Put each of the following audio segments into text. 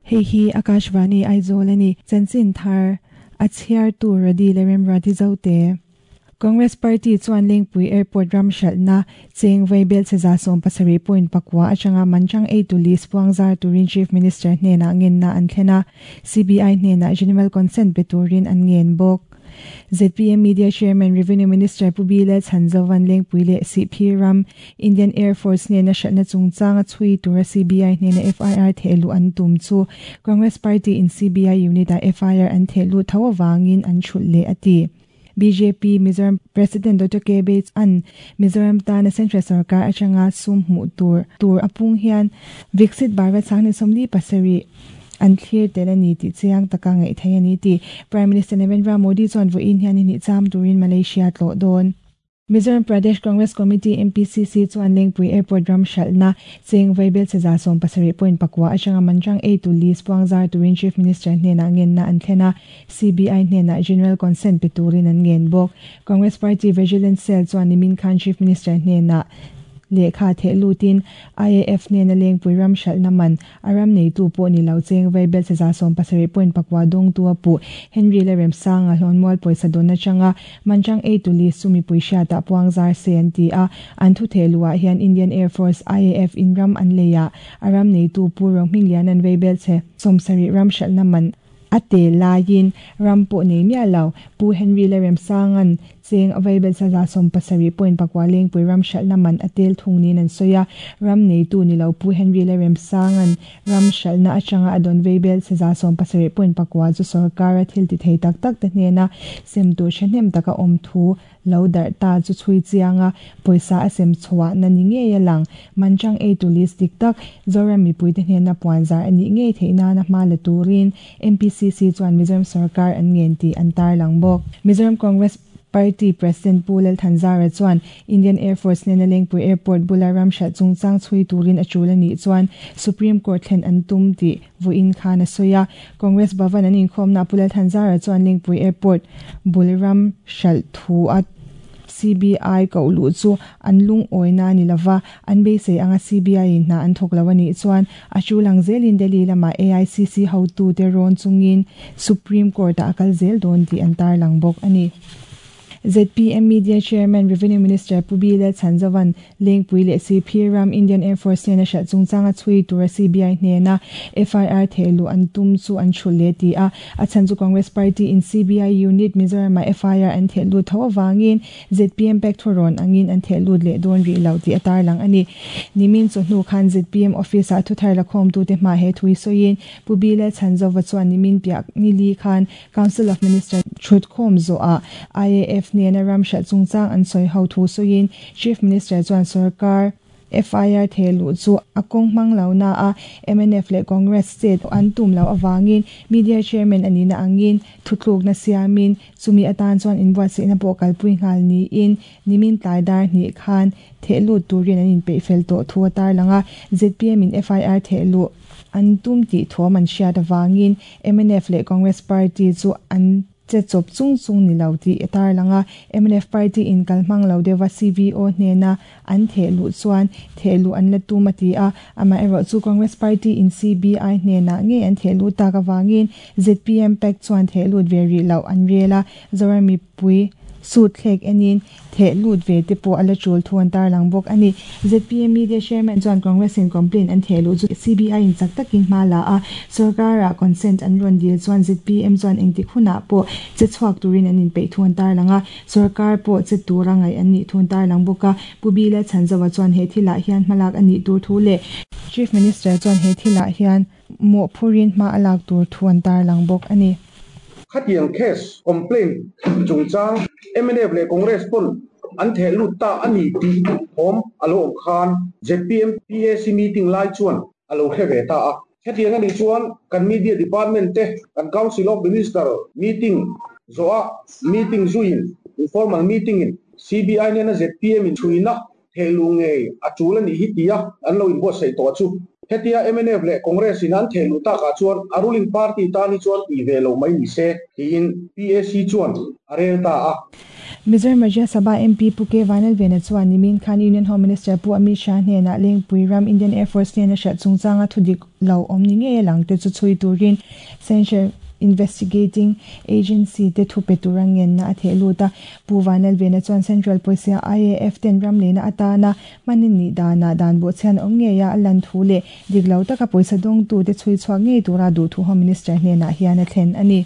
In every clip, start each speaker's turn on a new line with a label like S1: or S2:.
S1: Hei hi Akashvani Aizawl a ni. Chanchin thar a chhiartu Radi leh Remruati Zote. Congress Party chuan Lengpui Airport ram hralhna cheng vaibel che 70 point pakua atanga manchang eitu list puangzar turin Chief Minister hnenah ngenna an thlen a, CBI hnenah General Consent pe turin an ngen bawk. ZPM Media Chairman Revenue Minister Pu Bile Chhanzovan Lengpui leh Sihphir ram Indian Air Force hnena hralhna chungchanga chhui tura CBI hnena FIR thehluh an tum chu Congress Party in CBI unit ah FIR an thehluh tho avangin an thulh leh a ti. Bjp Mizoram President Doctor KB an Mizoram tana Central Sarkar atanga sum hmuh tur tur a pung hian Viksit Bharat Sangni 47 an thlir tel a ni tih chiang taka ngaih theih a ni tih Prime Minister Narendra Modi chuan vawiin hian ni hnih cham turin Malaysia tlawh dawn. Mizoram Pradesh Congress Committee, MPCC, chuan Lengpui Airport ram hralhna cheng vaibel che 70 point pakua atanga manchang eitu list puangzar turin Chief Minister hnenah ngenna an thlen a, CBI hnenah General Consent pe turin an ngen bawk. Congress Party Vigilance Cell chuan nimin khan Chief Minister hnenah lehkha theh lutin IAF hnena Lengpui ram hralhna man A ram neitu pawh ni lo cheng vaibel che 70 point pakua dawngtu a puh. Henry leh Remsanga hlawnmual pawisa dawn atanga Manchang eitu list chu mipui hriatah puang zar se an ti a. An thu theh luhah hian Indian Air Force, IAF, in ram an lei a, a ram neitu Pu Rohmingliana'n vaibel che 70 ram hralhna man a tel laiin ram pawh nei miah lo. Pu Henry leh Remsanga'n Cheng a vaibel sa 70 point pakua Lengpui ram hralhna man a tel thung niin an sawi a, ram neitu ni lo Pu Henry Lalremsanga'n ram hralhna atanga a dawn vaibel sa 70 point pakua chu sorkara thil ti thei tak tak te hnena sem tur thahnem taka awm thu lo darh ta chu chhui chiang a, pawisa a sem chhuahna ni ngei a lang. Manchang eitu list dik tak Zoram mipuite hnena puanzar a nih ngei theih nana hma la turin MPCC chuan Mizoram sorkar an ngen tih an tarlang bawk. Mizoram Congress Party President Pu Lalthanzara chuan Indian Air Force nena Lengpui Airport bula ram hralh chungchang chhui turin a tul a nih chuan Supreme Court thlen an tum tih vawiin khan a sawi a. Congress Bhavan an inkhawmnaah Pu Lalthanzara chuan Lengpui Airport bul ram hralh thu a CBI koh luh chu an lungawina a ni lova, an beisei anga CBI-in hna an thawk lo a nih chuan a tul ang zelin Delhi lamah AICC hotute rawn chungin Supreme Court-ah a kal zel dawn tih an tarlang bawk a ni. ZPM Media Chairman Revenue Minister Pu B Lalchhanzovan Lengpui leh Sihphir ram Indian Air Force hnena hralh chungchanga chhui tura CBI hnena FIR thehluh an tum chu an thulh leh ti a. A chhan chu Congress Party in CBI unit Mizoramah FIR an theh lut tho avangin ZPM pack thurawn angin an theh lut leh dawn rih lo tih a tarlang a ni. Nimin chawhnu khan ZPM office ah thuthar lakhawmtute hma he thui sawiin Pu B Lalchhanzova chuan nimin piah nili khan Council of Minister thutkhawm zawhah IAF nena ram hralh chungchang an sawi ho thu sawiin Chief Minister chuan sorkar FIR theh luh chu a kawng hmang lo na a, mnf leh Congress state an tum loh avangin Media Chairman a nihna angin thutlukna siamin chumi atan chuan inbuatsaihna pawh kalpui nghal niin nimin tlai dar hnih khan theh lut turin an inpeih fel tawh thu a tarlang a, zpm in FIR theh luh an tum tih thuam an hriat avangin mnf leh Congress party chu an Che chawp chung chung ni lo tih a tarlang a, mnf party in kal hmang lo deuha CVO hnena an theh luh chuan theh luh an la tum a ti a, amaherawh chu Congress party in CBI hnenah ngei an theh luh tak avangin zpm pack chuan theh lut ve rih loh an rel a, Zoram mipui suit thlek enin Theh lut ve te pawh a la tul thu an tarlang bawk a ni. Zpm Media Chairman chuan Congress in complaint an theh luh chu CBI in chak takin hma la a, sorkar-ah consent an rawn dil chuan zpm chuan engtik hunah pawh che chhuak turin an inpeih thu an tarlang a, sorkar pawh che tura ngaih an nih thu an tarlang bawk a. Pu Bila Chhanzova chuan he thilah hian hmalak a nih tur thu leh Chief Minister chuan he thilah hian mawhphurin hma a lak tur thu an tarlang bawk a ni.
S2: Khatiang case complaint chungchang mnf leh Congress pawn an theh lut ta a ni tih thawm a lo awm khan zpm PAC meeting lai chuan a lo hre ve ta a. Hetiang a nih chuan kan media department te kan Council of Minister meeting zawhah meeting zuiin informal meeting in CBI nena zpm in chhuina thehluh ngei a tul a nih hi tia an lo inbuatsaih tawh chu. Hetia mnf leh Congress in an theh luh takah chuan a ruling party tan hi chuan tih ve loh mai ni se tiin PAC chuan a rel ta a.
S1: Mizoram Rajya Sabha MP Pu K Vanlalvena chuan nimin khan Union Home Minister Pu Amit Shah hnenah Lengpui ram Indian Air Force hnena hralh chungchanga thudik lo awm ni ngei a lang te chu chhui turin Central Investigating Agency te thu pe tura ngenna a theh lut a. Pu Vanlalvena chuan Central pawisa IAF ten ram lehna atana hman in nih danah dan bawhchhian awm ngei a lan thu leh dik lo taka pawisa dawngtute chhui chhuak ngei tura duhthu Home Minister hnenah hian a thlen a ni.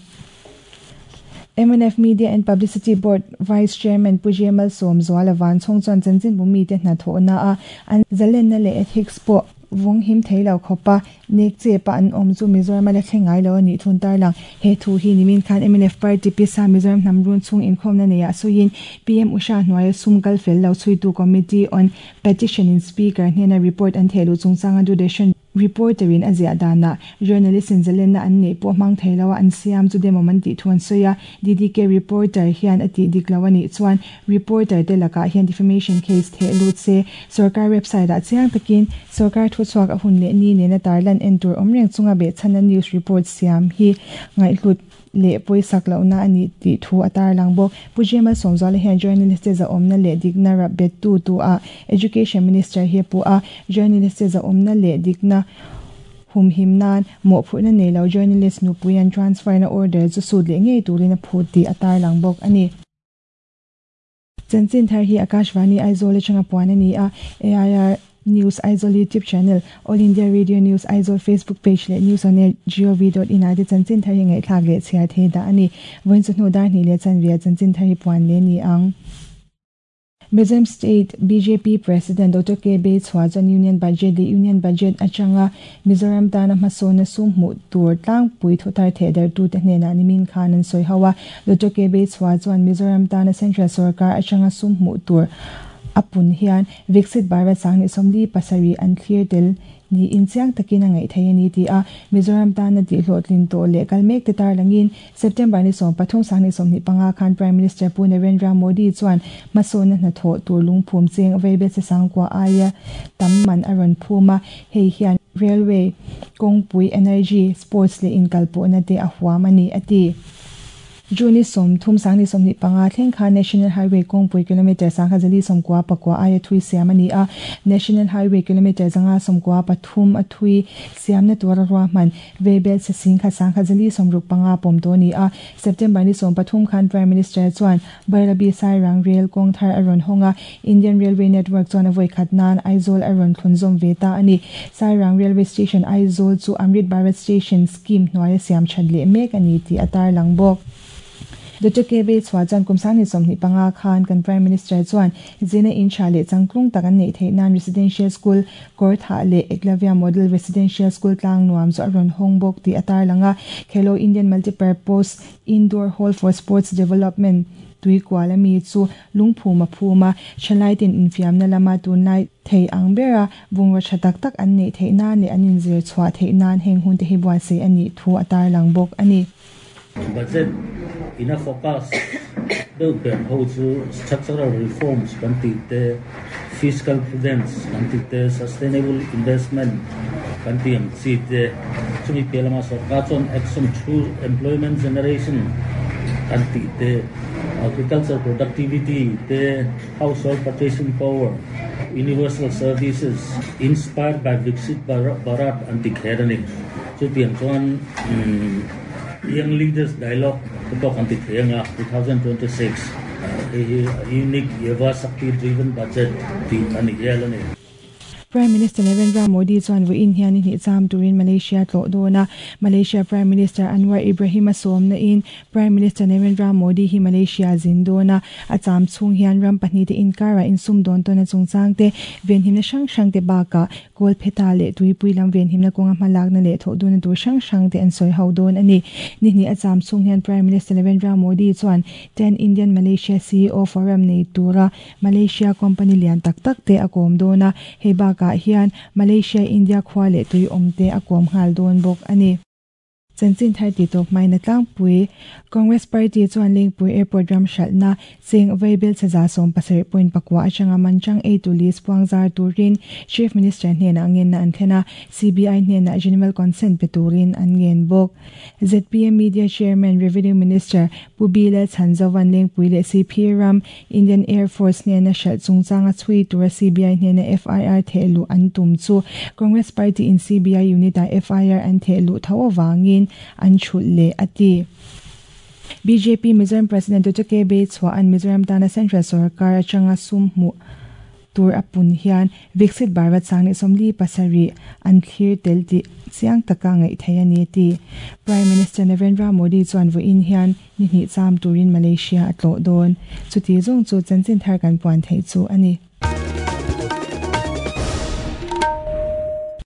S1: Mnf Media and Publicity Board Vice Chairman Pu J Malsawmzuala Vanchhawng chuan chanchinbu mite hnathawhna a an zalenna leh ethics pawh vawng him thei lo khawpa nek chep a an awm chu Mizoram a la thleng ngai lo a nih thun tarlang. He thu hi nimin khan mnf Party pisa Mizoram hnam run chhung inkhawmna neiah sawiin PM Usha hnuaia sum kal fel lo chhuitu Committee on Petition in Speaker hnena report an thehluh chungchanga Doordarshan Reporter in a ziah danah journalist in zalenna an neih pawh hmang thei lo a an siam chu demawm an tih thu an sawi a. DDK reporter hian a tih dik lo a nih chuan reporter te lakah hian defamation case theh lut se, sorkar website ah chiang takin sorkar thuchhuak a hun leh ni nena tarlan en tur awm reng chunga behchhana news report siam hi ngaihhlut leh pawisak lohna a nih tih thu a tarlang bawk. Pu Jemal Sawmzuala hian journalist te zahawmna leh dikna rap bettu tu ah Education Minister hi a puh a, journalist te zahawmna leh dikna humhim nan mawhphurhna nei lo journalist nupui an transfer na order chu sut leh ngei turin a phut tih a tarlang bawk a ni. Chanchin thar hi Akashvani Aizawl atanga puan a ni a, AIR News Aizawl YouTube channel, All India Radio News Aizawl Facebook page leh News on Air gov dot in ah te chanchin thar hi ngaihthlak leh chhiar thei dah a ni. Vawiin chu hnu dar hnih leh chanve ah chanchin thar hi puan leh a ni ang. Mizoram State bjp President Doctor KB Chhuah chuan Union Budget leh Union Budget atanga Mizoram tana hmasawnna sum hmuh tur tlangpui thuthar thehdarhtute hnenah nimin khan an sawi ho a. Doctor KB Chhuah chuan Mizoram tana Central sorkar atanga sum hmuh tur a pun hian Viksit Bharat 2037 an thlir tel niin chiang takin a ngaih thei a ni ti a. Mizoram tana tihhlawhtlin tawh leh kal mek te tarlangin September ni 13 2025 khan Prime Minister Pu Narendra Modi chuan hmasawnna hnathawh tur lungphum cheng Veibelchhe Sangkua aia tam man a rawn phum a, hei hian railway, kawngpui, energy, sports leh inkalpawhna te a huam a ni, a ti. June ni 30 2025 thleng khan National Highway kawngpui kilometre 1099 aia thui siam a ni a, National Highway kilometre 593 a thui siamna tura ruahman Veibel chhe 10,165 pawm tawh a ni a. September ni 13 khan Prime Minister chuan Bairabi Sairang Rail kawng thar a rawn hawng a, Indian Railway Network chuan a vawi khat nan Aizawl a rawn thlun zawm ve ta a ni. Sairang Railway Station Aizawl chu Amrit Bharat Station Scheme hnuaia siam that leh mek a ni tih a tarlang bawk. Doctor KB Chhuah chuan kum 2025 khan kan Prime Minister chuan zirna in tha leh changtlung tak an neih theih nan Residential School Kawrthah leh Eklavya Model Residential School tlang nuam chu a rawn hawng bawk tih a tarlang a. Khelo Indian Multipurpose Indoor Hall for Sports Development tui kual a mi chu lungphum a phum a, thalai ten infiamna lama tunlai thei ang bera bungraw tha tak tak an neih theih nan leh an inzir chhuah theih nan heng hun te hi buatsaih a nih thu a tarlang bawk a ni.
S3: Budget ina focus deuh ber ho chu structural reforms kan tih te, fiscal prudence kan tih te, sustainable investment kan tih ang chi te, chumi piah lamah sorkar chuan action through employment generation kan tih te, agriculture productivity te, household purchasing power, universal services inspired by Viksit Bharat an ti kher a ni. Chutiang chuan Young Leaders Dialogue te pawh kan ti thei ang a, 2026 hei hi a unique Yuva Shakti driven budget tih a ni hial a ni.
S1: Prime Minister Narendra Modi chuan vawiin hian i hnih cham turin Malaysia tlawh dawn a. Malaysia Prime Minister Anwar Ibrahim a sawmna in Prime Minister Narendra Modi hi Malaysia zin dawn a. A cham chhung hian ram pahnih te inkarah insum dawn tawn a chungchang te, venhimna hrang hrang te bakah Kawlpheta leh Tuipui lam venhimna kawnga hmalakna leh thawhduna tur hrang hrang te an sawi ho dawn a ni. Ni hnih a cham chhung hian Prime Minister Narendra Modi chuan Ten Indian Malaysia CEO Forum nei tura Malaysia company lian tak tak te a kawm dawn a, hei bakah hian Malaysia India khua leh tui awm te a kawm nghal dawn bawk a ni. Chanchin thar ti tawp hmain a tlangpui. Congress Party chuan Lengpui Airport ram hralhna cheng vaibelchhe 70 point pakua atanga manchang eitu list puang zar turin Chief Minister hnenah ngenna an thlen a, CBI hnenah General Consent pe turin an ngen bawk. Zpm Media Chairman Revenue Minister Pu Bilal Chhanzovan Lengpui leh CP ram Indian Air Force hnena hralh chungchanga chhui tura CBI hnena FIR theh luh an tum chu Congress Party in CBI unit ah FIR an theh luh tho avangin an thulh leh a ti. Bjp Mizoram President Doctor KB Chhuahan Mizoram tana Central sorkar atanga sum hmuh tur a pun hian Viksit Bharat sang 47 an thlir tel tih chiang taka ngaih theih a ni a ti. Prime Minister Narendra Modi chuan vawiin hian ni hnih cham turin Malaysia a tlawh dawn. Chuti zawng chu chanchin thar kan puan theih chu a ni.